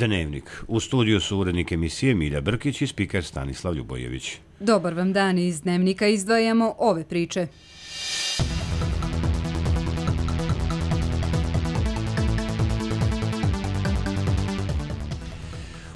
Dnevnik. U studiju su urednik emisije Milja Brkić i spiker Stanislav Ljubojević. Dobar vam dan, iz Dnevnika izdvajamo ove priče.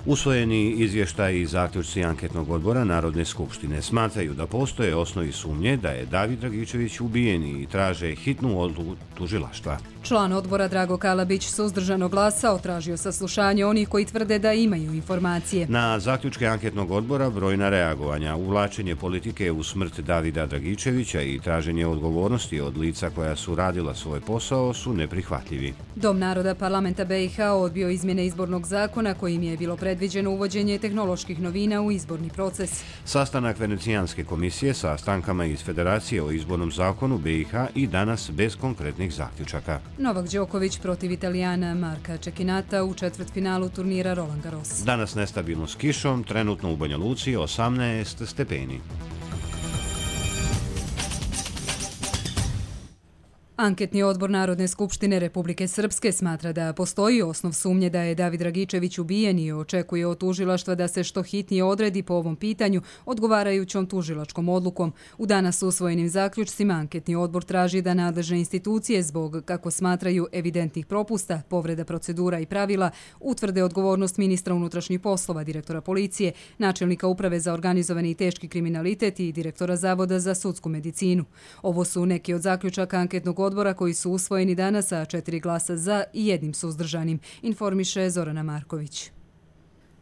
Usvojeni izvještaji i zaključci anketnog odbora Narodne skupštine smatraju da postoje osnovi sumnje da je David Dragičević ubijen i traže hitnu odluku tužilaštva. Član odbora Drago Kalabić suzdržano glasao, tražio saslušanje onih koji tvrde da imaju informacije. Na zaključke anketnog odbora brojna reagovanja, uvlačenje politike u smrt Davida Dragičevića i traženje odgovornosti od lica koja su radila svoj posao su neprihvatljivi. Dom naroda parlamenta BiH odbio izmjene izbornog zakona kojim je bilo predviđeno uvođenje tehnoloških novina u izborni proces. Sastanak Venecijanske komisije sa strankama iz Federacije o izbornom zakonu BiH i danas bez konkretnih zaključaka. Novak Đoković protiv Italijana Marka Čekinata u četvrtfinalu turnira Roland Garros. Danas nestabilno s kišom, trenutno u Banja Luci 18 stepeni. Anketni odbor Narodne skupštine Republike Srpske smatra da postoji osnov sumnje da je David Dragičević ubijen i očekuje od tužilaštva da se što hitnije odredi po ovom pitanju odgovarajućom tužilačkom odlukom. U danas usvojenim zaključcima anketni odbor traži da nadležne institucije zbog, kako smatraju, evidentnih propusta, povreda procedura i pravila, utvrde odgovornost ministra unutrašnjih poslova, direktora policije, načelnika uprave za organizovani i teški kriminalitet i direktora Zavoda za sudsku medicinu. Ovo su neki od zaključaka anketnog odbora koji su usvojeni danas sa 4 glasa za i 1 suzdržanim, informiše Zorana Marković.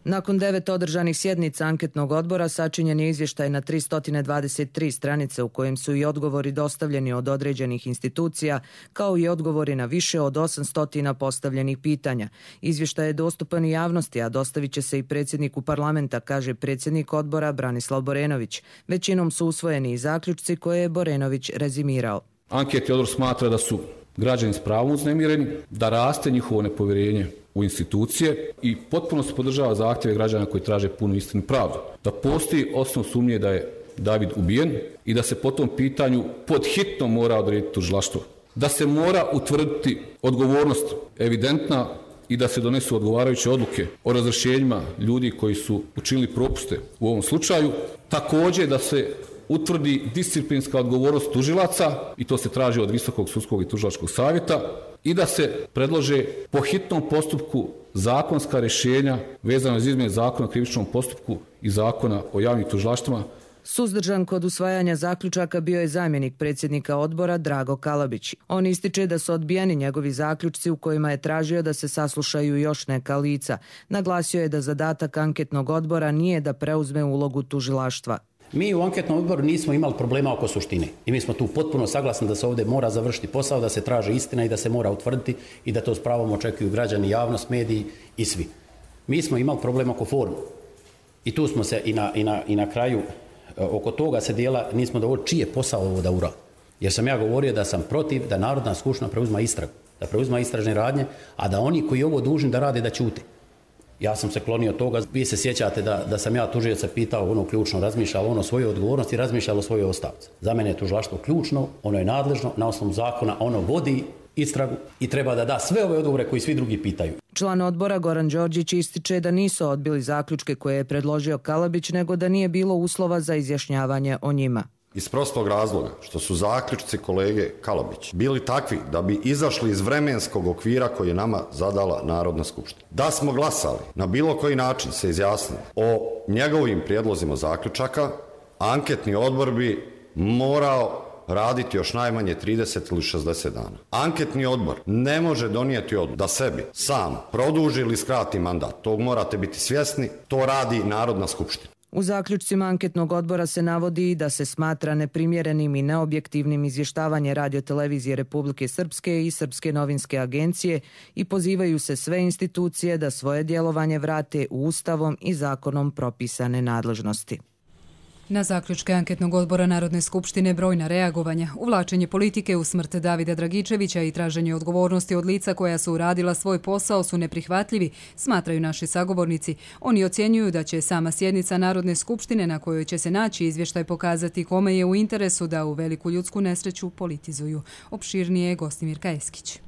Nakon 9 održanih sjednica anketnog odbora sačinjen je izvještaj na 323 stranice u kojem su i odgovori dostavljeni od određenih institucija, kao i odgovori na više od 800 postavljenih pitanja. Izvještaj je dostupan i javnosti, a dostavit će se i predsjedniku parlamenta, kaže predsjednik odbora Branislav Borenović. Većinom su usvojeni i zaključci koje je Borenović rezimirao. Anketni odbor smatra da su građani s pravom uznemireni, da raste njihovo nepovjerenje u institucije i potpuno se podržava zahtjeve građana koji traže punu istinu i pravdu. Da postoji osnov sumnje da je David ubijen i da se po tom pitanju pod hitno mora odrediti tužilaštvo. Da se mora utvrditi odgovornost evidentna i da se donesu odgovarajuće odluke o razrješenjima ljudi koji su učinili propuste u ovom slučaju. Također da se utvrdi disciplinska odgovornost tužilaca i to se traži od Visokog sudskog i tužilačkog savjeta i da se predlože po hitnom postupku zakonska rješenja vezano za izmjene zakona o krivičnom postupku i zakona o javnim tužilaštvima. Suzdržan kod usvajanja zaključaka bio je zamjenik predsjednika odbora Drago Kalabić. On ističe da su odbijeni njegovi zaključci u kojima je tražio da se saslušaju još neka lica. Naglasio je da zadatak anketnog odbora nije da preuzme ulogu tužilaštva. Mi u anketnom odboru nismo imali problema oko suštine i mi smo tu potpuno saglasni da se ovdje mora završiti posao, da se traži istina i da se mora utvrditi i da to s pravom očekuju građani, javnost, mediji i svi. Mi smo imali problem oko formu i tu smo se i na kraju oko toga se dijela, nismo dovoljno čiji je posao ovo da uradi. Jer sam ja govorio da sam protiv da Narodna skupština preuzma istragu, da preuzma istražne radnje, a da oni koji ovo dužni da rade da ćute. Ja sam se klonio toga. Vi se sjećate da sam ja tužioca pitao, ono ključno, razmišljalo ono svoje odgovornosti, razmišljalo svoje ostavce. Za mene je tužilaštvo ključno, ono je nadležno, na osnovu zakona ono vodi istragu i treba da da sve ove odgovore koji svi drugi pitaju. Član odbora Goran Đorđić ističe da nisu odbili zaključke koje je predložio Kalabić, nego da nije bilo uslova za izjašnjavanje o njima. Iz prostog razloga što su zaključci kolege Kalabić bili takvi da bi izašli iz vremenskog okvira koji je nama zadala Narodna skupština. Da smo glasali, na bilo koji način se izjasnili o njegovim prijedlozima zaključaka, anketni odbor bi morao raditi još najmanje 30 ili 60 dana. Anketni odbor ne može donijeti odluku da sebi sam produži ili skrati mandat. Tog morate biti svjesni, to radi Narodna skupština. U zaključcima anketnog odbora se navodi da se smatra neprimjerenim i neobjektivnim izvještavanje Radiotelevizije Republike Srpske i Srpske novinske agencije i pozivaju se sve institucije da svoje djelovanje vrate u Ustavom i zakonom propisane nadležnosti. Na zaključke anketnog odbora Narodne skupštine brojna reagovanja, uvlačenje politike u smrt Davida Dragičevića i traženje odgovornosti od lica koja su uradila svoj posao su neprihvatljivi, smatraju naši sagovornici. Oni ocjenjuju da će sama sjednica Narodne skupštine na kojoj će se naći izvještaj pokazati kome je u interesu da u veliku ljudsku nesreću politizuju. Opširnije je Gostimir Kajeskić.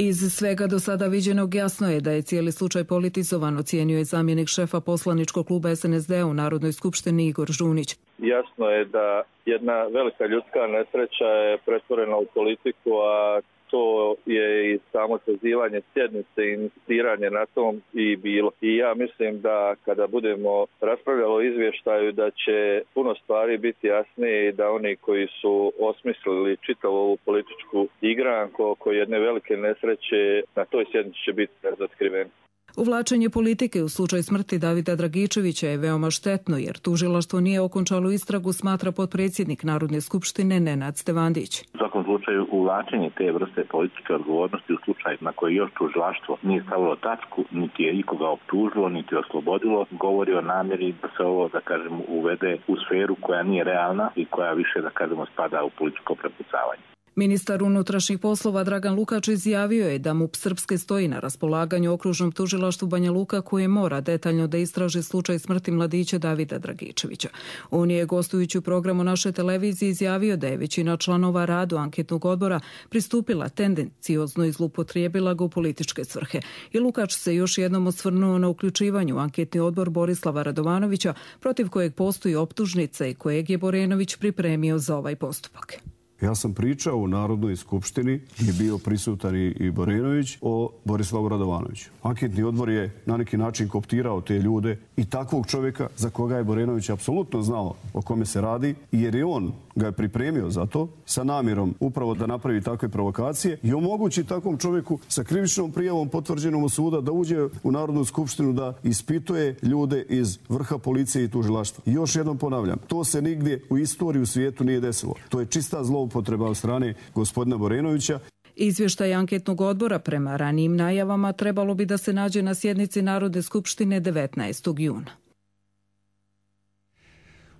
Iz svega do sada viđenog jasno je da je cijeli slučaj politizovan, ocijenio je zamjenik šefa poslaničkog kluba SNSD u Narodnoj skupštini Igor Žunić. Jasno je da jedna velika ljudska nesreća je pretvorena u politiku, a to je i samo sazivanje sjednice i insistiranje na tom i bilo. I ja mislim da kada budemo raspravljali o izvještaju da će puno stvari biti jasnije i da oni koji su osmislili čitavu ovu političku igranku oko jedne velike nesreće na toj sjednici će biti razotkriveni. Uvlačenje politike u slučaj smrti Davida Dragičevića je veoma štetno jer tužilaštvo nije okončalo istragu, smatra potpredsjednik Narodne skupštine Nenad Stevandić. U svakom slučaju uvlačenje te vrste političke odgovornosti u slučaju na koji još tužilaštvo nije stavilo tačku, niti je ikoga optužilo, niti oslobodilo, govori o namjeri da se ovo, da kažemo, uvede u sferu koja nije realna i koja više, da kažemo, spada u političko prepucavanje. Ministar unutrašnjih poslova Dragan Lukač izjavio je da MUP Srpske stoji na raspolaganju okružnom tužilaštvu Banja Luka koje mora detaljno da istraži slučaj smrti mladića Davida Dragičevića. On je gostujući u programu naše televizije izjavio da je većina članova radu anketnog odbora pristupila tendenciozno i zloupotrijebila ga u političke svrhe. I Lukač se još jednom osvrnuo na uključivanju u anketni odbor Borislava Radovanovića protiv kojeg postoji optužnica i kojeg je Borenović pripremio za ovaj postupak. Ja sam pričao u Narodnoj skupštini, je bio prisutan i Borenović, o Borislavu Radovanoviću. Anketni odbor je na neki način koptirao te ljude i takvog čovjeka za koga je Borenović apsolutno znao o kome se radi, jer je on ga je pripremio za to sa namjerom upravo da napravi takve provokacije i omogući takvom čovjeku sa krivičnom prijavom potvrđenom od suda da uđe u Narodnu skupštinu da ispituje ljude iz vrha policije i tužilaštva. I još jednom ponavljam, to se nigdje u istoriji u svijetu nije desilo. To je čista zloupotreba od strane gospodina Borenovića. Izvještaj anketnog odbora prema ranijim najavama trebalo bi da se nađe na sjednici Narodne skupštine 19. juna.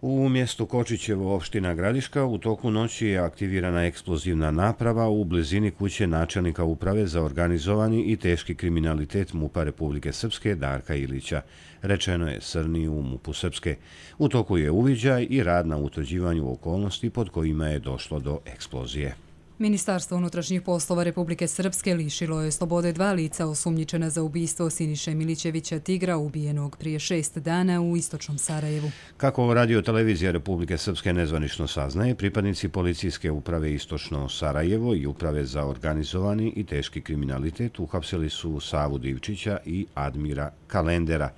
U mjestu Kočićevo, opština Gradiška, u toku noći je aktivirana eksplozivna naprava u blizini kuće načelnika uprave za organizovani i teški kriminalitet MUP-a Republike Srpske Darka Ilića. Rečeno je Srni u MUP-u Srpske. U toku je uviđaj i rad na utvrđivanju okolnosti pod kojima je došlo do eksplozije. Ministarstvo unutrašnjih poslova Republike Srpske lišilo je slobode 2 lica osumnjičena za ubistvo Siniše Milićevića Tigra, ubijenog prije 6 dana u istočnom Sarajevu. Kako Radio televizija Republike Srpske nezvanično saznaje, pripadnici policijske uprave Istočno Sarajevo i uprave za organizovani i teški kriminalitet uhapsili su Savu Divčića i Admira Kalendera.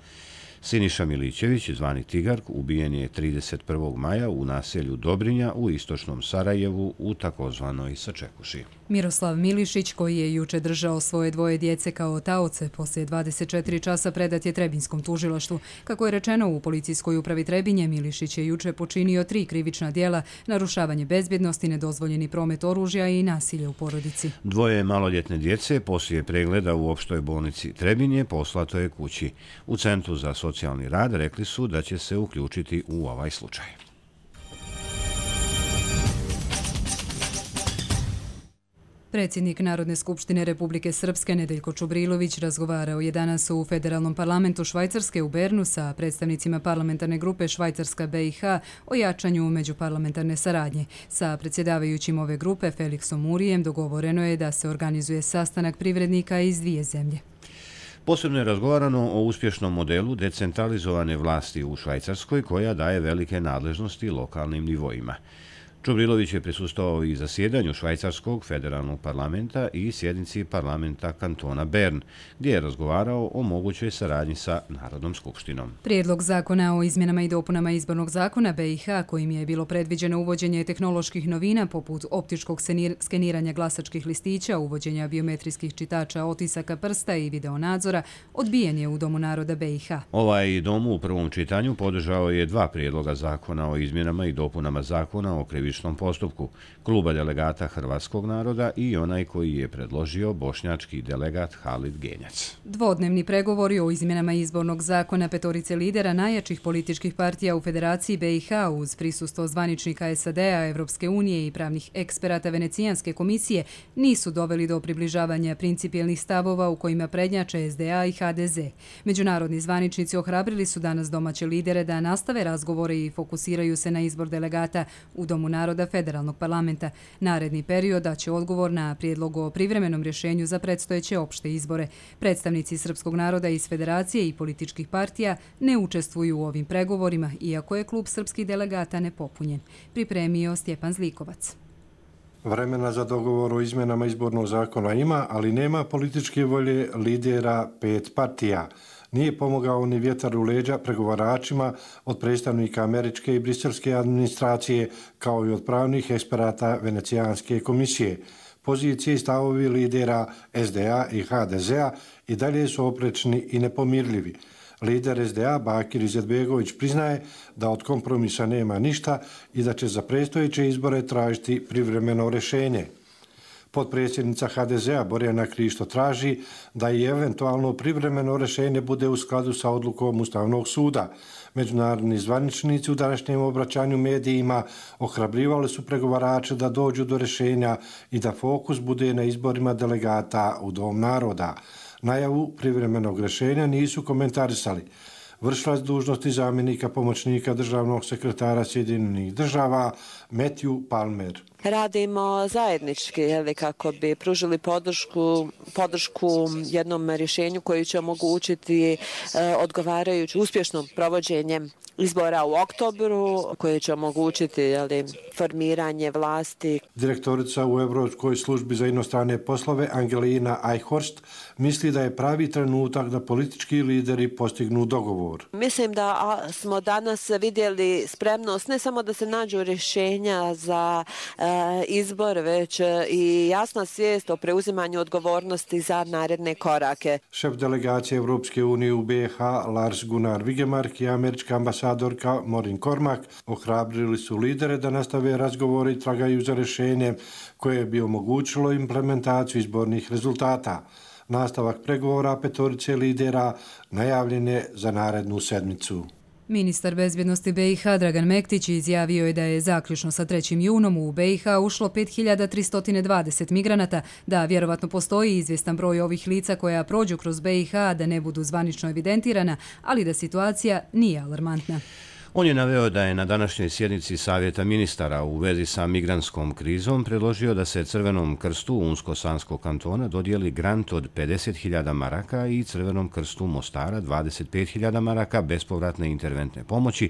Siniša Milićević, zvani Tigar, ubijen je 31. maja u naselju Dobrinja u istočnom Sarajevu u takozvanoj Sačekuši. Miroslav Milišić, koji je juče držao svoje 2 djece kao taoce, poslije 24 časa predat je Trebinskom tužilaštvu. Kako je rečeno u policijskoj upravi Trebinje, Milišić je juče počinio 3 krivična djela: narušavanje bezbjednosti, nedozvoljeni promet oružja i nasilje u porodici. 2 maloljetne djece poslije pregleda u opštoj bolnici Trebinje poslato je kući. U Centru za socijalni rad rekli su da će se uključiti u ovaj slučaj. Predsjednik Narodne skupštine Republike Srpske Nedeljko Čubrilović razgovarao je danas u Federalnom parlamentu Švajcarske u Bernu sa predstavnicima parlamentarne grupe Švajcarska BiH o jačanju međuparlamentarne saradnje. Sa predsjedavajućim ove grupe Felixom Murijem dogovoreno je da se organizuje sastanak privrednika iz 2 zemlje. Posebno je razgovarano o uspješnom modelu decentralizovane vlasti u Švajcarskoj koja daje velike nadležnosti lokalnim nivoima. Čubrilović je prisustvovao i zasjedanju Švajcarskog federalnog parlamenta i sjednici parlamenta kantona Bern, gdje je razgovarao o mogućoj saradnji sa Narodnom skupštinom. Prijedlog zakona o izmjenama i dopunama izbornog zakona BiH, kojim je bilo predviđeno uvođenje tehnoloških novina poput optičkog skeniranja glasačkih listića, uvođenja biometrijskih čitača otisaka prsta i videonadzora, odbijen je u Domu naroda BiH. Ovaj dom u prvom čitanju podržao je 2 prijedloga zakona o izmjenama i dopunama zakona o krivičnom postupku, kluba delegata Hrvatskog naroda i onaj koji je predložio bošnjački delegat Halid Genjac. Dvodnevni pregovori o izmjenama izbornog zakona 5 lidera najjačih političkih partija u Federaciji BiH uz prisustvo zvaničnika SAD-a, Evropske unije i pravnih eksperata Venecijanske komisije nisu doveli do približavanja principijelnih stavova u kojima prednjače SDA i HDZ. Međunarodni zvaničnici ohrabrili su danas domaće lidere da nastave razgovore i fokusiraju se na izbor delegata u Domu naroda naroda Federalnog parlamenta. Naredni period daće odgovor na prijedlog o privremenom rješenju za predstojeće opšte izbore. Predstavnici srpskog naroda iz Federacije i političkih partija ne učestvuju u ovim pregovorima, iako je klub srpskih delegata nepopunjen. Pripremio Stjepan Zlikovac. Vremena za dogovor o izmenama izbornog zakona ima, ali nema političke volje lidera 5 partija. Nije pomogao ni vjetar u leđa pregovaračima od predstavnika američke i briselske administracije, kao i od pravnih eksperata Venecijanske komisije. Pozicije i stavovi lidera SDA i HDZ-a i dalje su oprečni i nepomirljivi. Lider SDA Bakir Izetbegović priznaje da od kompromisa nema ništa i da će za predstojeće izbore tražiti privremeno rješenje. Potpredsjednica HDZ-a Borjana Krišto traži da i eventualno privremeno rješenje bude u skladu sa odlukom Ustavnog suda. Međunarodni zvaničnici u današnjem obraćanju medijima ohrabrivali su pregovarače da dođu do rješenja i da fokus bude na izborima delegata u Dom naroda. Najavu privremenog rješenja nisu komentarisali. Vršilac dužnosti zamjenika pomoćnika državnog sekretara Sjedinjenih država Matthew Palmer. Radimo zajednički kako bi pružili podršku jednom rješenju koji će omogućiti odgovarajuće uspješno provođenje izbora u oktobru, koje će omogućiti formiranje vlasti. Direktorica u Europskoj službi za inostrane poslove Angelina Eichhorst misli da je pravi trenutak da politički lideri postignu dogovor. Mislim da smo danas vidjeli spremnost ne samo da se nađu rješenja za izbor, već i jasna svijest o preuzimanju odgovornosti za naredne korake. Šef delegacije Europske unije u BiH Lars Gunnar Vigemark i američka ambasadorka Maureen Cormack ohrabrili su lidere da nastave razgovore i tragaju za rješenje koje bi omogućilo implementaciju izbornih rezultata. Nastavak pregovora petorice lidera najavljen je za narednu sedmicu. Ministar bezbjednosti BiH Dragan Mektić izjavio je da je zaključno sa 3. junom u BiH ušlo 5320 migranata, da vjerovatno postoji izvjestan broj ovih lica koja prođu kroz BiH, da ne budu zvanično evidentirana, ali da situacija nije alarmantna. On je naveo da je na današnjoj sjednici Savjeta ministara u vezi sa migrantskom krizom predložio da se Crvenom krstu Unsko-Sanskog kantona dodijeli grant od 50.000 maraka i Crvenom krstu Mostara 25.000 maraka bespovratne interventne pomoći,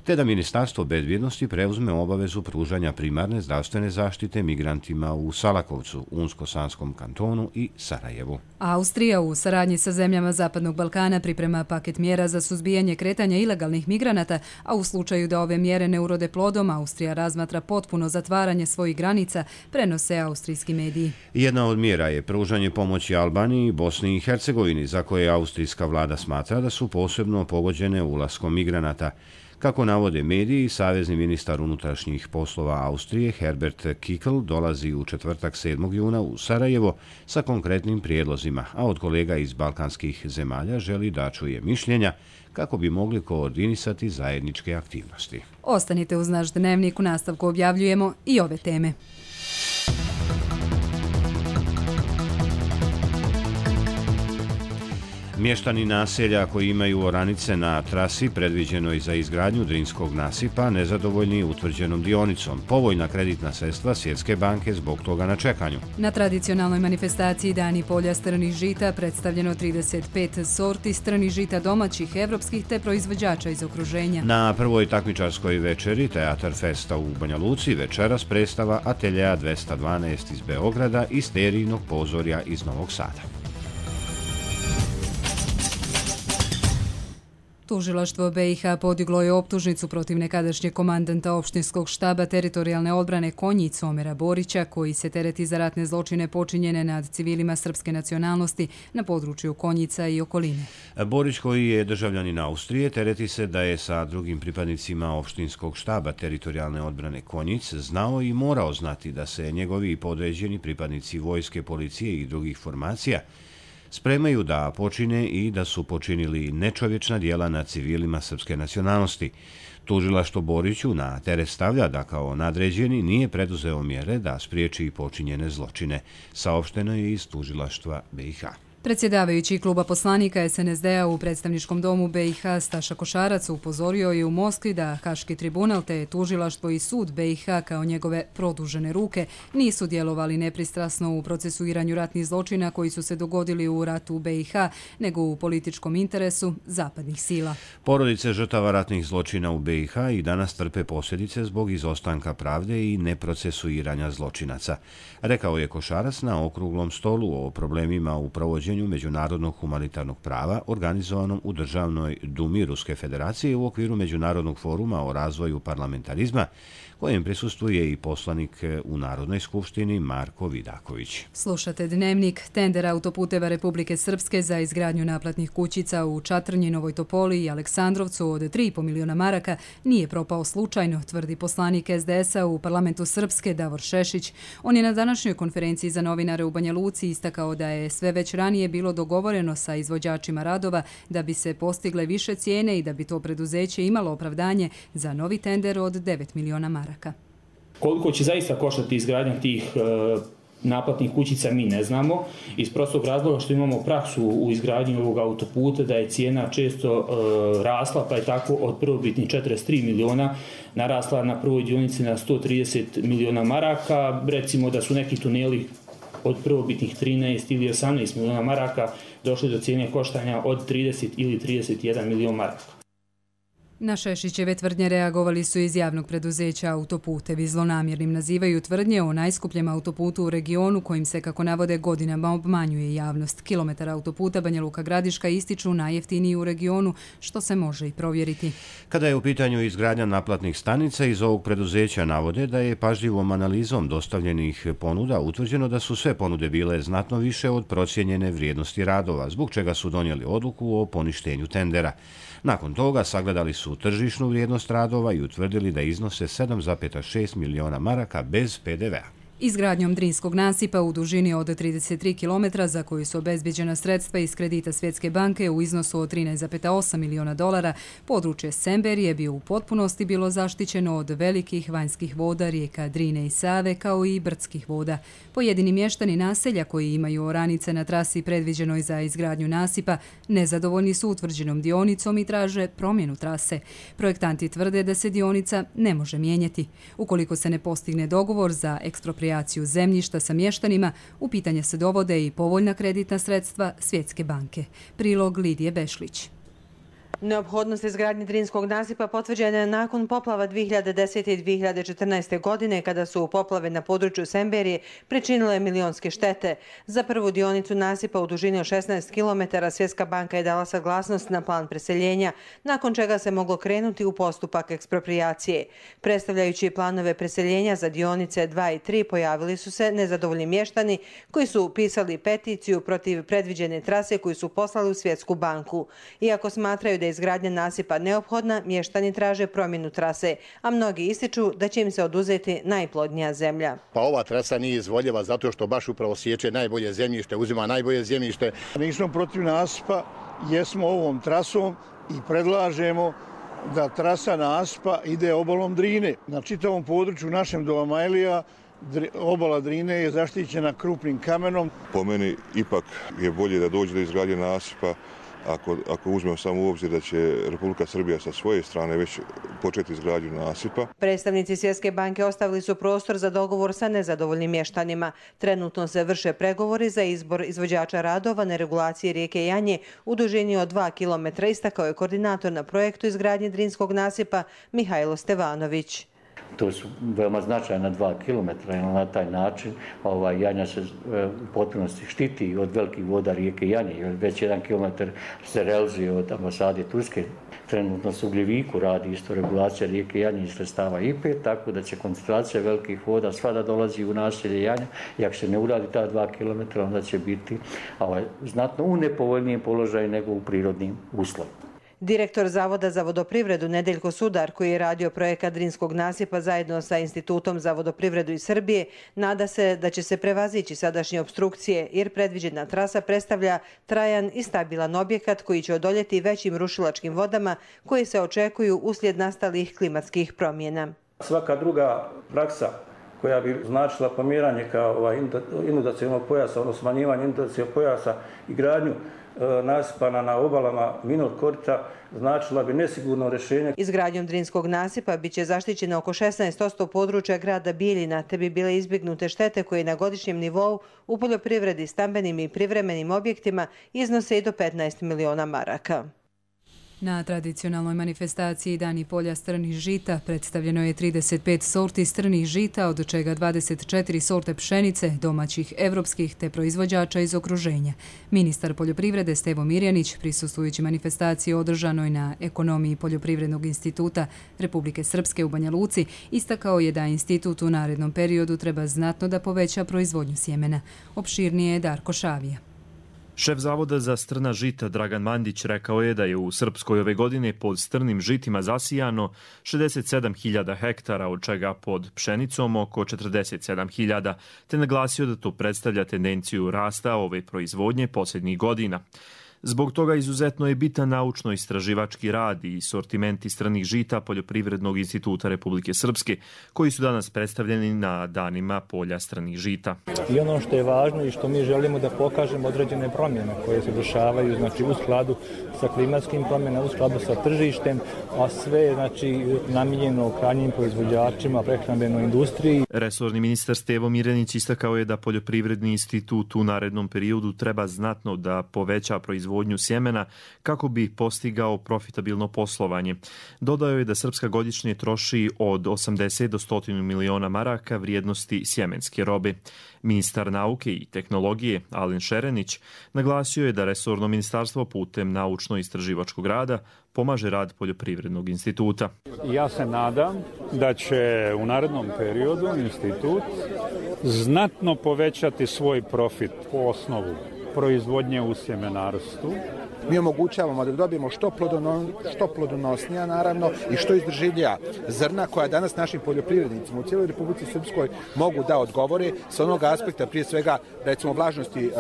te da Ministarstvo bezbjednosti preuzme obavezu pružanja primarne zdravstvene zaštite migrantima u Salakovcu, Unsko-Sanskom kantonu i Sarajevu. Austrija u saradnji sa zemljama Zapadnog Balkana priprema paket mjera za suzbijanje kretanja ilegalnih migranata, a u slučaju da ove mjere ne urode plodom, Austrija razmatra potpuno zatvaranje svojih granica, prenose austrijski mediji. Jedna od mjera je pružanje pomoći Albaniji i Bosni i Hercegovini, za koje austrijska vlada smatra da su posebno pogođene ulaskom migranata. Kako navode mediji, savezni ministar unutrašnjih poslova Austrije Herbert Kickl dolazi u četvrtak 7. juna u Sarajevo sa konkretnim prijedlozima, a od kolega iz balkanskih zemalja želi da čuje mišljenja kako bi mogli koordinisati zajedničke aktivnosti. Ostanite uz naš dnevnik, u nastavku objavljujemo i ove teme. Mještani naselja koji imaju oranice na trasi predviđenoj za izgradnju Drinskog nasipa nezadovoljni utvrđenom dionicom. Povoljna kreditna sredstva Svjetske banke zbog toga na čekanju. Na tradicionalnoj manifestaciji Dani polja strnih žita predstavljeno 35 sorti strnih žita domaćih, evropskih te proizvođača iz okruženja. Na prvoj takmičarskoj večeri Teatar Festa u Banja Luci večeras predstava Ateljea 212 iz Beograda i Sterijnog pozorja iz Novog Sada. Tužilaštvo BiH podiglo je optužnicu protiv nekadašnjeg komandanta opštinskog štaba teritorijalne odbrane Konjic Omera Borića, koji se tereti za ratne zločine počinjene nad civilima srpske nacionalnosti na području Konjica i okoline. Borić, koji je državljanin Austrije, tereti se da je sa drugim pripadnicima opštinskog štaba teritorijalne odbrane Konjic znao i morao znati da se njegovi podređeni pripadnici vojske, policije i drugih formacija spremaju da počine i da su počinili nečovječna djela nad civilima srpske nacionalnosti. Tužilaštvo Boriću na teret stavlja da kao nadređeni nije preduzeo mjere da spriječi počinjene zločine, saopšteno je iz tužilaštva BiH. Predsjedavajući kluba poslanika SNSD-a u predstavničkom domu BiH Staša Košarac upozorio je u Moskvi da Haški tribunal te tužilaštvo i sud BiH kao njegove produžene ruke nisu djelovali nepristrasno u procesuiranju ratnih zločina koji su se dogodili u ratu u BiH, nego u političkom interesu zapadnih sila. Porodice žrtava ratnih zločina u BiH i danas trpe posljedice zbog izostanka pravde i neprocesuiranja zločinaca, rekao je Košarac na okruglom stolu o problemima u provođenju međunarodnog humanitarnog prava organizovanom u Državnoj dumi Ruske federacije u okviru Međunarodnog foruma o razvoju parlamentarizma, kojem prisustvuje i poslanik u Narodnoj skupštini Marko Vidaković. Slušate Dnevnik. Tender autoputeva Republike Srpske za izgradnju naplatnih kućica u Čatrnji, Novoj Topoli i Aleksandrovcu od 3,5 miliona maraka nije propao slučajno, tvrdi poslanik SDS-a u parlamentu Srpske Davor Šešić. On je na današnjoj konferenciji za novinare u Banja Luci istakao da je sve već ranije bilo dogovoreno sa izvođačima radova da bi se postigle više cijene i da bi to preduzeće imalo opravdanje za novi tender od 9 miliona maraka. Koliko će zaista koštati izgradnja tih naplatnih kućica mi ne znamo, iz prostog razloga što imamo praksu u izgradnji ovog autoputa da je cijena često rasla, pa je tako od prvobitnih 43 miliona narasla na prvoj dionici na 130 miliona maraka. Recimo da su neki tuneli od prvobitnih 13 ili 18 miliona maraka došli do cijene koštanja od 30 ili 31 milion maraka. Na Šešićeve tvrdnje reagovali su iz javnog preduzeća Autoputevi. Zlonamjernim nazivaju tvrdnje o najskupljem autoputu u regionu kojim se, kako navode, godinama obmanjuje javnost. Kilometar autoputa Banja Luka Gradiška ističu najjeftiniji u regionu, što se može i provjeriti. Kada je u pitanju izgradnja naplatnih stanica, iz ovog preduzeća navode da je pažljivom analizom dostavljenih ponuda utvrđeno da su sve ponude bile znatno više od procijenjene vrijednosti radova, zbog čega su donijeli odluku o poništenju tendera. Nakon toga sagledali su tržišnu vrijednost radova i utvrdili da iznose 7,6 miliona maraka bez PDV-a. Izgradnjom Drinskog nasipa u dužini od 33 km za koju su obezbijeđena sredstva iz kredita Svjetske banke u iznosu od 13,8 miliona dolara, područje Semberije bi u potpunosti bilo zaštićeno od velikih vanjskih voda rijeka Drine i Save kao i brdskih voda. Pojedini mještani naselja koji imaju oranice na trasi predviđenoj za izgradnju nasipa nezadovoljni su utvrđenom dionicom i traže promjenu trase. Projektanti tvrde da se dionica ne može mijenjati. Ukoliko se ne postigne dogovor za ekspropriaciju zemljišta sa mještanima, u pitanje se dovode i povoljna kreditna sredstva Svjetske banke. Prilog Lidije Bešlić. Neophodnost izgradnje Drinskog nasipa potvrđena je nakon poplava 2010. i 2014. godine, kada su poplave na području Semberije pričinile milionske štete. Za prvu dionicu nasipa u dužini od 16 km Svjetska banka je dala saglasnost na plan preseljenja, nakon čega se moglo krenuti u postupak ekspropriacije. Predstavljajući planove preseljenja za dionice 2 i 3 pojavili su se nezadovoljni mještani koji su pisali peticiju protiv predviđene trase koju su poslali u Svjetsku banku. Iako smatraju da je izgradnja nasipa neophodna, mještani traže promjenu trase, a mnogi ističu da će im se oduzeti najplodnija zemlja. Pa ova trasa nije izvoljeva zato što baš upravo sječe najbolje zemljište, uzima najbolje zemljište. Nismo protiv nasipa, jesmo ovom trasom i predlažemo da trasa nasipa ide obalom Drine. Na čitavom području našem do Amajlija obala Drine je zaštićena krupnim kamenom. Po meni ipak je bolje da dođe do izgradnje nasipa ako uzmemo samo u obzir da će Republika Srbija sa svoje strane već početi izgradnju nasipa. Predstavnici Svjetske banke ostavili su prostor za dogovor sa nezadovoljnim mještanima. Trenutno se vrše pregovori za izbor izvođača radova na regulaciji rijeke Janje u dužini od 2 km, istakao je koordinator na projektu izgradnje Drinskog nasipa Mihajlo Stevanović. To su veoma značajna 2 km, na taj način Janja se u potpunosti štiti od velikih voda rijeke Janje. Već 1 km se realizuje od ambasade Turske. Trenutno se u Gljeviku radi isto regulacija rijeke Janje iz sredstava IPE, tako da će koncentracija velikih voda svada dolazi u naselje Janja. I ako se ne uradi ta 2 km, onda će biti znatno u nepovoljnijem položaju nego u prirodnim uslovima. Direktor Zavoda za vodoprivredu Nedeljko Sudar, koji je radio projekat Drinskog nasipa zajedno sa Institutom za vodoprivredu iz Srbije, nada se da će se prevazići sadašnje opstrukcije, jer predviđena trasa predstavlja trajan i stabilan objekat koji će odoljeti većim rušilačkim vodama koje se očekuju uslijed nastalih klimatskih promjena. Svaka druga praksa koja bi značila pomiranje kao inundacionog pojasa, odnosno smanjivanje inundacionog pojasa i gradnju nasipa na obalama Vinor korita, značila bi nesigurno rješenje. Izgradnjom Drinskog nasipa biće zaštićeno oko 16% područja grada Bijeljina, te bi bile izbjegnute štete koje na godišnjem nivou u poljoprivredi, stambenim i privremenim objektima iznose i do 15 miliona maraka. Na tradicionalnoj manifestaciji Dani polja strnih žita predstavljeno je 35 sorti strnih žita, od čega 24 sorte pšenice, domaćih, evropskih te proizvođača iz okruženja. Ministar poljoprivrede Stevo Mirjanić, prisustvujući manifestaciji održanoj na Ekonomiji Poljoprivrednog instituta Republike Srpske u Banja Luci, istakao je da institut u narednom periodu treba znatno da poveća proizvodnju sjemena. Opširnije je Darko Šavija. Šef Zavoda za strna žita Dragan Mandić rekao je da je u Srpskoj ove godine pod strnim žitima zasijano 67.000 hektara, od čega pod pšenicom oko 47.000, te naglasio da to predstavlja tendenciju rasta ove proizvodnje posljednjih godina. Zbog toga izuzetno je bitan naučno-istraživački rad i sortimenti stranih žita Poljoprivrednog instituta Republike Srpske, koji su danas predstavljeni na danima polja stranih žita. I ono što je važno i što mi želimo da pokažemo određene promjene koje se dešavaju, znači u skladu sa klimatskim promjenama, u skladu sa tržištem, a sve znači namijenjeno krajnjim proizvođačima, prehrambenoj industriji. Resorni ministar Stevo Mirjanić istakao je da Poljoprivredni institut u narednom periodu treba znatno da poveća proizvodnju sjemena kako bi postigao profitabilno poslovanje. Dodao je da Srpska godišnje troši od 80 do 100 miliona maraka vrijednosti sjemenske robe. Ministar nauke i tehnologije Alen Šerenić naglasio je da resorno ministarstvo putem naučno-istraživačkog rada pomaže rad Poljoprivrednog instituta. Ja se nadam da će u narednom periodu institut znatno povećati svoj profit po osnovu proizvodnje u sjemenarstvu. Mi omogućavamo da dobijemo što plodonosnija, naravno, i što izdržljivija zrna koja danas našim poljoprivrednicima u cijeloj Republici Srpskoj mogu da odgovore sa onog aspekta, prije svega, recimo, vlažnosti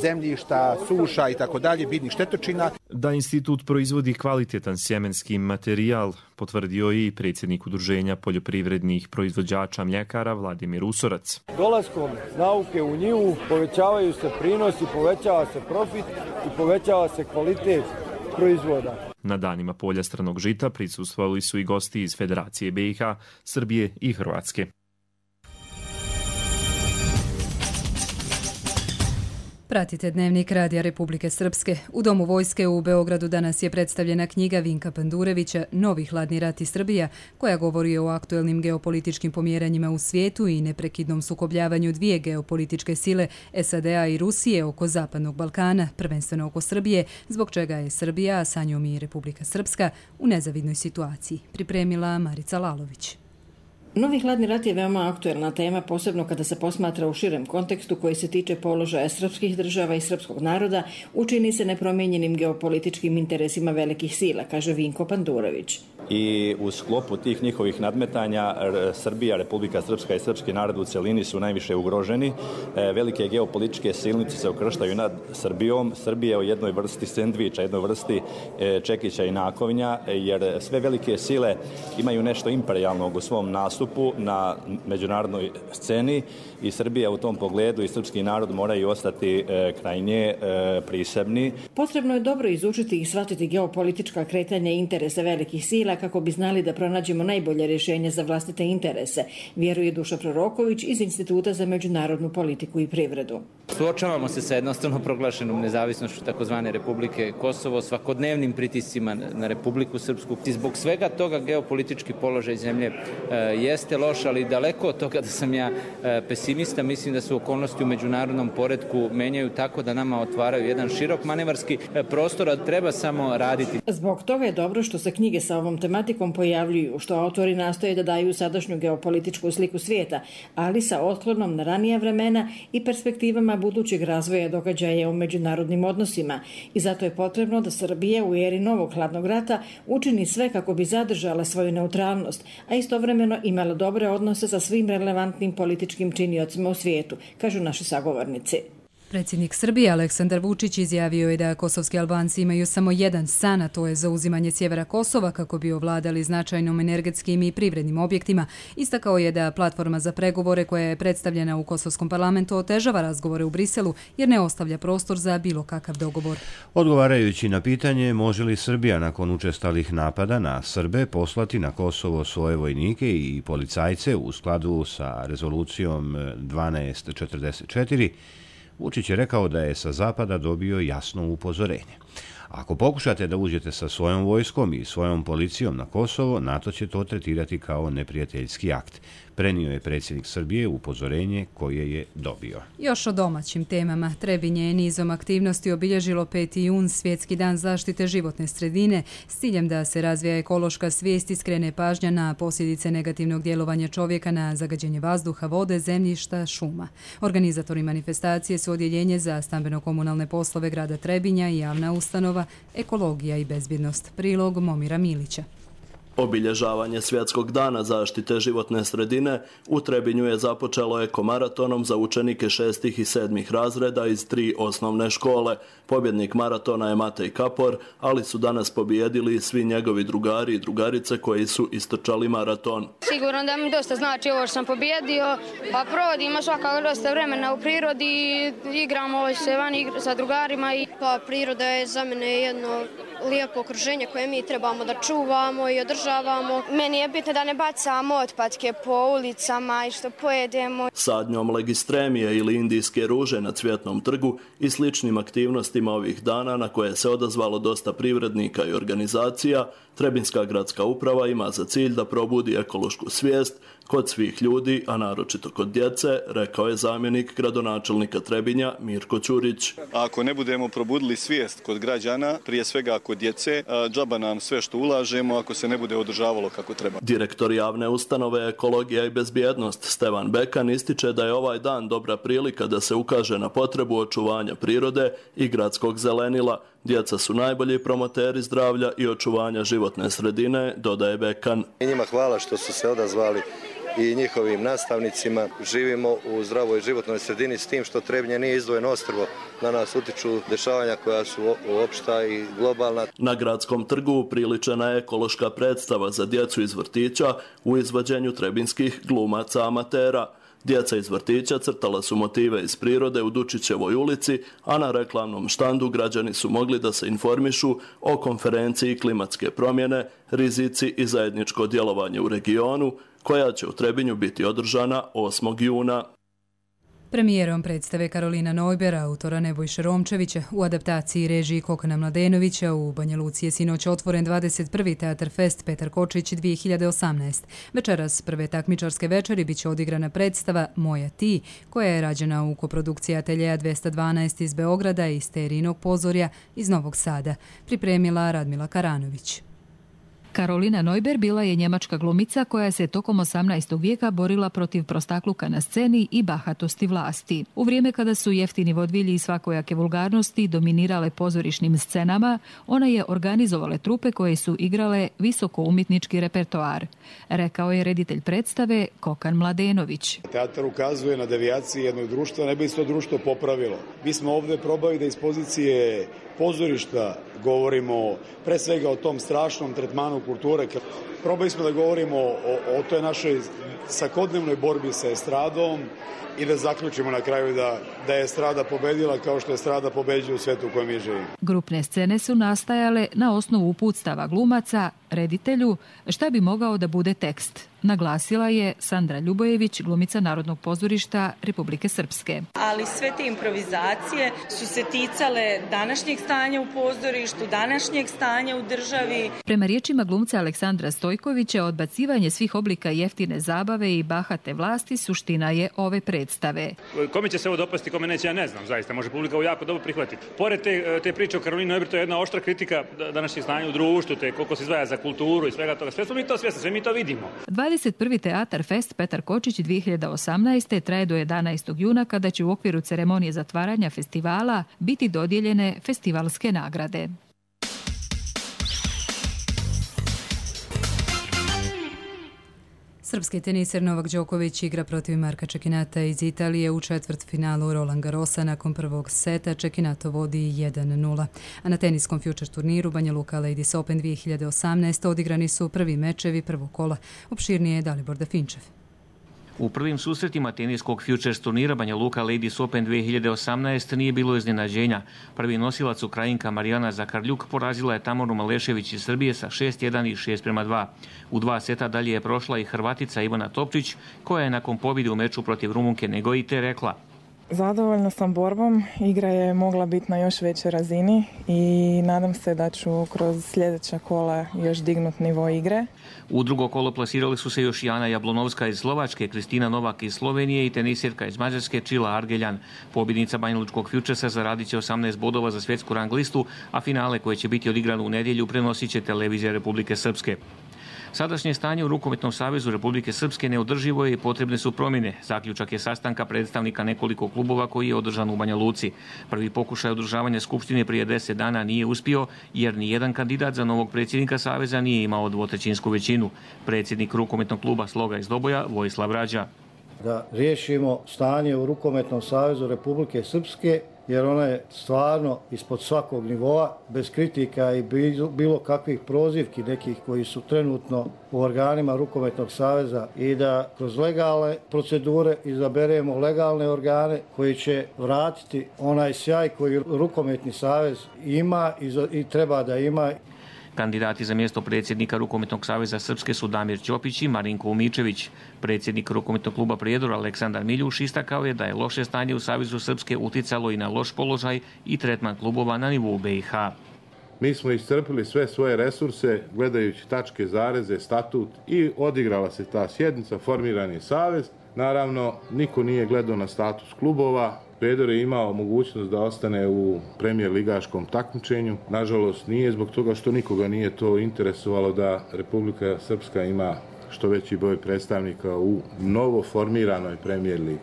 zemljišta, suša i tako dalje, biljnih štetočina. Da institut proizvodi kvalitetan sjemenski materijal, potvrdio je i predsjednik Udruženja poljoprivrednih proizvođača mljekara Vladimir Usorac. Dolaskom nauke u njivu povećavaju se prinosi, povećava se profit i povećava se kvalitet proizvoda. Na danima polja stranog žita prisustvovali su i gosti iz Federacije BiH, Srbije i Hrvatske. Pratite Dnevnik Radija Republike Srpske. U Domu vojske u Beogradu danas je predstavljena knjiga Vinka Pandurevića Novi hladni rat i Srbija, koja govori o aktuelnim geopolitičkim pomjeranjima u svijetu i neprekidnom sukobljavanju dvije geopolitičke sile, SAD-a i Rusije, oko Zapadnog Balkana, prvenstveno oko Srbije, zbog čega je Srbija, a sa njom i Republika Srpska, u nezavidnoj situaciji. Pripremila Marica Lalović. Novi hladni rat je veoma aktuelna tema, posebno kada se posmatra u širem kontekstu koji se tiče položaja srpskih država i srpskog naroda, učini se nepromijenjenim geopolitičkim interesima velikih sila, kaže Vinko Pandurević. I u sklopu tih njihovih nadmetanja Srbija, Republika Srpska i srpski narod u cjelini su najviše ugroženi. Velike geopolitičke silnice se ukrštaju nad Srbijom. Srbija je u jednoj vrsti sendviča, jednoj vrsti čekića i nakovnja, jer sve velike sile imaju nešto imperijalnog u svom nastupu na međunarodnoj sceni i Srbija u tom pogledu i srpski narod moraju ostati krajnje prisebni. Potrebno je dobro izučiti i shvatiti geopolitička kretanja i interese velikih sila kako bi znali da pronađemo najbolje rješenje za vlastite interese, vjeruje Duša Proroković iz Instituta za međunarodnu politiku i privredu. Suočavamo se sa jednostavno proglašenom nezavisnošću takozvane Republike Kosovo, svakodnevnim pritiscima na Republiku Srpsku. I zbog svega toga geopolitički položaj zemlje jeste loš, ali daleko od toga da sam ja pesimista. Mislim da se okolnosti u međunarodnom poretku menjaju tako da nama otvaraju jedan širok manevarski prostor, a treba samo raditi. Zbog toga je dobro što se knjige sa ovom tematikom pojavljuju, što autori nastoje da daju sadašnju geopolitičku sliku svijeta, ali sa otklonom na ranija vremena i perspektivama budućeg razvoja događaja u međunarodnim odnosima. I zato je potrebno da Srbija u eri novog hladnog rata učini sve kako bi zadržala svoju neutralnost, a istovremeno imala dobre odnose sa svim relevantnim političkim činiocima u svijetu, kažu naši sagovornici. Predsjednik Srbije Aleksandar Vučić izjavio je da kosovski Albanci imaju samo jedan san, a to je zauzimanje sjevera Kosova kako bi ovladali značajnom energetskim i privrednim objektima. Istakao je da platforma za pregovore koja je predstavljena u kosovskom parlamentu otežava razgovore u Briselu jer ne ostavlja prostor za bilo kakav dogovor. Odgovarajući na pitanje može li Srbija nakon učestalih napada na Srbe poslati na Kosovo svoje vojnike i policajce u skladu sa rezolucijom 1244, Vučić je rekao da je sa zapada dobio jasno upozorenje. Ako pokušate da uđete sa svojom vojskom i svojom policijom na Kosovo, NATO će to tretirati kao neprijateljski akt. Prenio je predsjednik Srbije upozorenje koje je dobio. Još o domaćim temama. Trebinje je nizom aktivnosti obilježilo 5. jun, Svjetski dan zaštite životne sredine, s ciljem da se razvija ekološka svijest i skrene pažnja na posljedice negativnog djelovanja čovjeka na zagađenje vazduha, vode, zemljišta, šuma. Organizatori manifestacije su Odjeljenje za stambeno-komunalne poslove grada Trebinja i javna ustanova Ekologija i bezbjednost. Prilog Momira Milića. Obilježavanje Svjetskog dana zaštite životne sredine u Trebinju je započelo ekomaratonom za učenike 6. i 7. razreda iz 3 osnovne škole. Pobjednik maratona je Matej Kapor, ali su danas pobijedili svi njegovi drugari i drugarice koji su istrčali maraton. Sigurno da mi dosta znači ovo što sam pobjedio, a provodimo svakako dosta vremena u prirodi, igramo se vani sa drugarima. Pa priroda je za mene jedno lijepo okruženje koje mi trebamo da čuvamo i održavamo. Meni je bitno da ne bacamo otpadke po ulicama i što pojedemo. Sadnjom legistremije ili indijske ruže na Cvjetnom trgu i sličnim aktivnostima ovih dana na koje se odazvalo dosta privrednika i organizacija, Trebinska gradska uprava ima za cilj da probudi ekološku svijest kod svih ljudi, a naročito kod djece, rekao je zamjenik gradonačelnika Trebinja Mirko Ćurić. Ako ne budemo probudili svijest kod građana, prije svega kod djece, džaba nam sve što ulažemo ako se ne bude održavalo kako treba. Direktor javne ustanove Ekologija i bezbjednost Stevan Bekan ističe da je ovaj dan dobra prilika da se ukaže na potrebu očuvanja prirode i gradskog zelenila. Djeca su najbolji promoteri zdravlja i očuvanja životne sredine, dodaje Bekan. I njima hvala što su se odazvali i njihovim nastavnicima. Živimo u zdravoj životnoj sredini s tim što Trebinje nije izdvojeno ostrvo. Na nas utiču dešavanja koja su opšta i globalna. Na gradskom trgu upriličena je ekološka predstava za djecu iz vrtića u izvođenju trebinskih glumaca amatera. Djeca iz vrtića crtala su motive iz prirode u Dučićevoj ulici, a na reklamnom štandu građani su mogli da se informišu o konferenciji klimatske promjene, rizici i zajedničko djelovanje u regionu, koja će u Trebinju biti održana 8. juna. Premijerom predstave Karolina Neuber, autora Nebojše Romčevića, u adaptaciji režiji Kokana Mladenovića u Banja Luci je sinoć otvoren 21. Teatar Fest Petar Kočić 2018. Večeras prve takmičarske večeri biće odigrana predstava Moja ti, koja je rađena u koprodukciji Ateljeja 212 iz Beograda i Sterinog pozorja iz Novog Sada. Pripremila Radmila Karanović. Karolina Neuber bila je njemačka glumica koja se tokom 18. vijeka borila protiv prostakluka na sceni i bahatosti vlasti. U vrijeme kada su jeftini vodvilji i svakojake vulgarnosti dominirale pozorišnim scenama, ona je organizovala trupe koje su igrale visoko umjetnički repertoar. Rekao je reditelj predstave Kokan Mladenović. Teatar ukazuje na devijacije jednog društva, ne bi se to društvo popravilo. Mi smo ovdje probali da iz pozicije pozorišta govorimo pre svega o tom strašnom tretmanu kulture. Probali smo da govorimo o toj našoj svakodnevnoj borbi sa estradom i da zaključimo na kraju da je estrada pobedila kao što je estrada pobeđuje u svijetu u kojem mi živimo. Grupne scene su nastajale na osnovu uputstava glumaca, reditelju, šta bi mogao da bude tekst. Naglasila je Sandra Ljubojević, glumica Narodnog pozorišta Republike Srpske. Ali sve te improvizacije su se ticale današnjeg stanja u pozorištu, današnjeg stanja u državi. Prema riječima glumca Aleksandra Stojkovića, odbacivanje svih oblika jeftine zabave i bahate vlasti suština je ove predstave. Kome će se ovo dopasti, kome neće, ja ne znam, zaista. Može publika ovo jako dobro prihvatiti. Pored te priče o Karolini Neuber, to je jedna oštra kritika današnjeg stanja u društvu, te koliko se izdvaja za kulturu i svega toga. Sve smo mi to svjesni, sve mi to vidimo. 21. Teatar Fest Petar Kočić 2018. traje do 11. juna kada će u okviru ceremonije zatvaranja festivala biti dodijeljene festivalske nagrade. Srpski teniser Novak Đoković igra protiv Marka Čekinata iz Italije u četvrtfinalu Roland Garrosa. Nakon prvog seta Čekinato vodi 1-0. A na teniskom future turniru Banja Luka Ladies Open 2018 odigrani su prvi mečevi prvog kola. Opširnije je Dalibor Dafinčev. U prvim susretima teniskog Futures turnira Banja Luka Ladies Open 2018 nije bilo iznenađenja. Prvi nosilac Ukrajinka Marijana Zakarljuk porazila je Tamoru Malešević iz Srbije sa 6-1 i 6-2. U 2 seta dalje je prošla i Hrvatica Ivana Topčić, koja je nakon pobjede u meču protiv Rumunke Negoite rekla: Zadovoljna sam borbom, igra je mogla biti na još većoj razini i nadam se da ću kroz sljedeća kola još dignuti nivo igre. U drugo kolo plasirali su se još Jana Jablonovska iz Slovačke, Kristina Novak iz Slovenije i tenisirka iz Mađarske Čila Argeljan. Pobjednica banjalučkog Futuresa zaradit će 18 bodova za svjetsku rang listu, a finale koje će biti odigrano u nedjelju prenosit će televizija Republike Srpske. Sadašnje stanje u Rukometnom savezu Republike Srpske neodrživo je i potrebne su promjene. Zaključak je sastanka predstavnika nekoliko klubova koji je održan u Banja Luci. Prvi pokušaj održavanja skupštine prije 10 dana nije uspio jer nijedan kandidat za novog predsjednika saveza nije imao dvotrećinsku većinu. Predsjednik Rukometnog kluba Sloga iz Doboja Vojislav Rađa: Da riješimo stanje u Rukometnom savezu Republike Srpske, jer ona je stvarno ispod svakog nivoa, bez kritika i bilo kakvih prozivki nekih koji su trenutno u organima Rukometnog saveza, i da kroz legalne procedure izaberemo legalne organe koji će vratiti onaj sjaj koji Rukometni savez ima i treba da ima. Kandidati za mjesto predsjednika Rukometnog saveza Srpske su Damir Ćopić i Marinko Umičević. Predsjednik Rukometnog kluba Prijedor Aleksandar Miljuš istakao je da je loše stanje u Savezu Srpske uticalo i na loš položaj i tretman klubova na nivou BiH. Mi smo iscrpili sve svoje resurse gledajući tačke, zareze, statut i odigrala se ta sjednica, formiran je savez. Naravno, niko nije gledao na status klubova. Prijedor je imao mogućnost da ostane u premijer ligaškom takmičenju. Nažalost, nije, zbog toga što nikoga nije to interesovalo da Republika Srpska ima što veći broj predstavnika u novo formiranoj premijer ligi.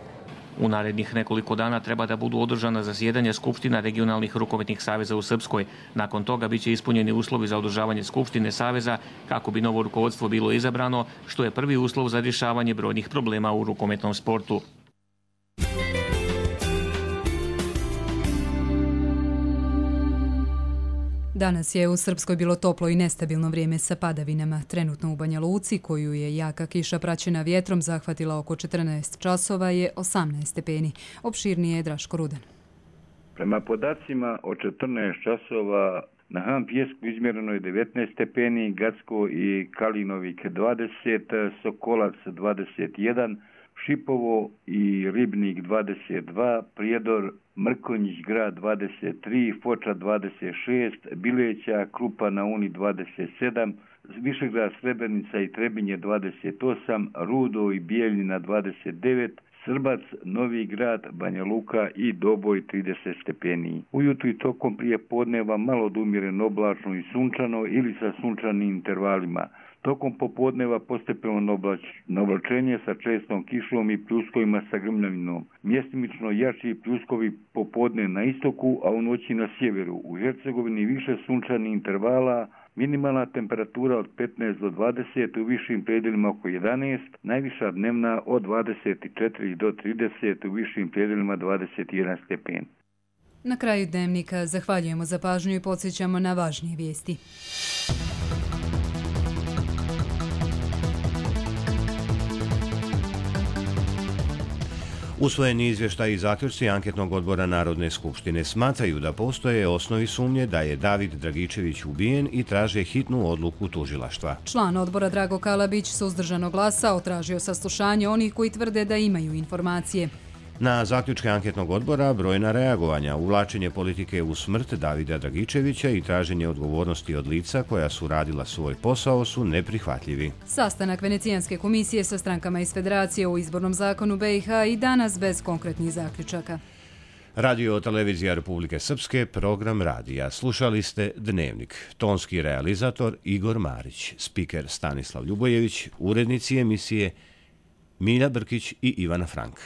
U narednih nekoliko dana treba da budu održana zasjedanja skupština regionalnih rukometnih saveza u Srpskoj. Nakon toga biće ispunjeni uslovi za održavanje skupštine saveza kako bi novo rukovodstvo bilo izabrano, što je prvi uslov za rješavanje brojnih problema u rukometnom sportu. Danas je u Srpskoj bilo toplo i nestabilno vrijeme sa padavinama. Trenutno u Banja Luci, koju je jaka kiša praćena vjetrom zahvatila oko 14 časova, je 18 stepeni. Opširnije je Draško Rudan. Prema podacima od 14 časova na Han Pjesku izmjereno je 19 stepeni, Gacko i Kalinovik 20, Sokolac 21, Šipovo i Ribnik 22, Prijedor, Mrkonjić grad 23, Foča 26, Bileća, Krupa na Uni 27, Višegrad, Srebrenica i Trebinje 28, Rudo i Bijeljina 29, Srbac, Novi grad, Banja Luka i Doboj 30 stepeni. Ujutru i tokom prije podneva malo od umjereno oblačno i sunčano ili sa sunčanim intervalima. Tokom popodneva postepeno oblačenje sa čestom kišom i pljuskovima sa grmljavinom. Mjestimično jači pljuskovi popodne na istoku, a u noći na sjeveru. U Hercegovini više sunčanih intervala, minimalna temperatura od 15 do 20, u višim predjelima oko 11, najviša dnevna od 24 do 30, u višim predjelima 21 stepen. Na kraju dnevnika zahvaljujemo za pažnju i podsjećamo na važnije vijesti. Usvojeni izvještaj i zaključci anketnog odbora Narodne skupštine smatraju da postoje osnovi sumnje da je David Dragičević ubijen i traže hitnu odluku tužilaštva. Član odbora Drago Kalabić suzdržano glasao, tražio saslušanje onih koji tvrde da imaju informacije. Na zaključke anketnog odbora brojna reagovanja, uvlačenje politike u smrt Davida Dragičevića i traženje odgovornosti od lica koja su radila svoj posao su neprihvatljivi. Sastanak Venecijanske komisije sa strankama iz Federacije o izbornom zakonu BiH i danas bez konkretnih zaključaka. Radio televizija Republike Srpske, program radija. Slušali ste Dnevnik. Tonski realizator Igor Marić, spiker Stanislav Ljubojević, urednici emisije Milja Brkić i Ivana Frank.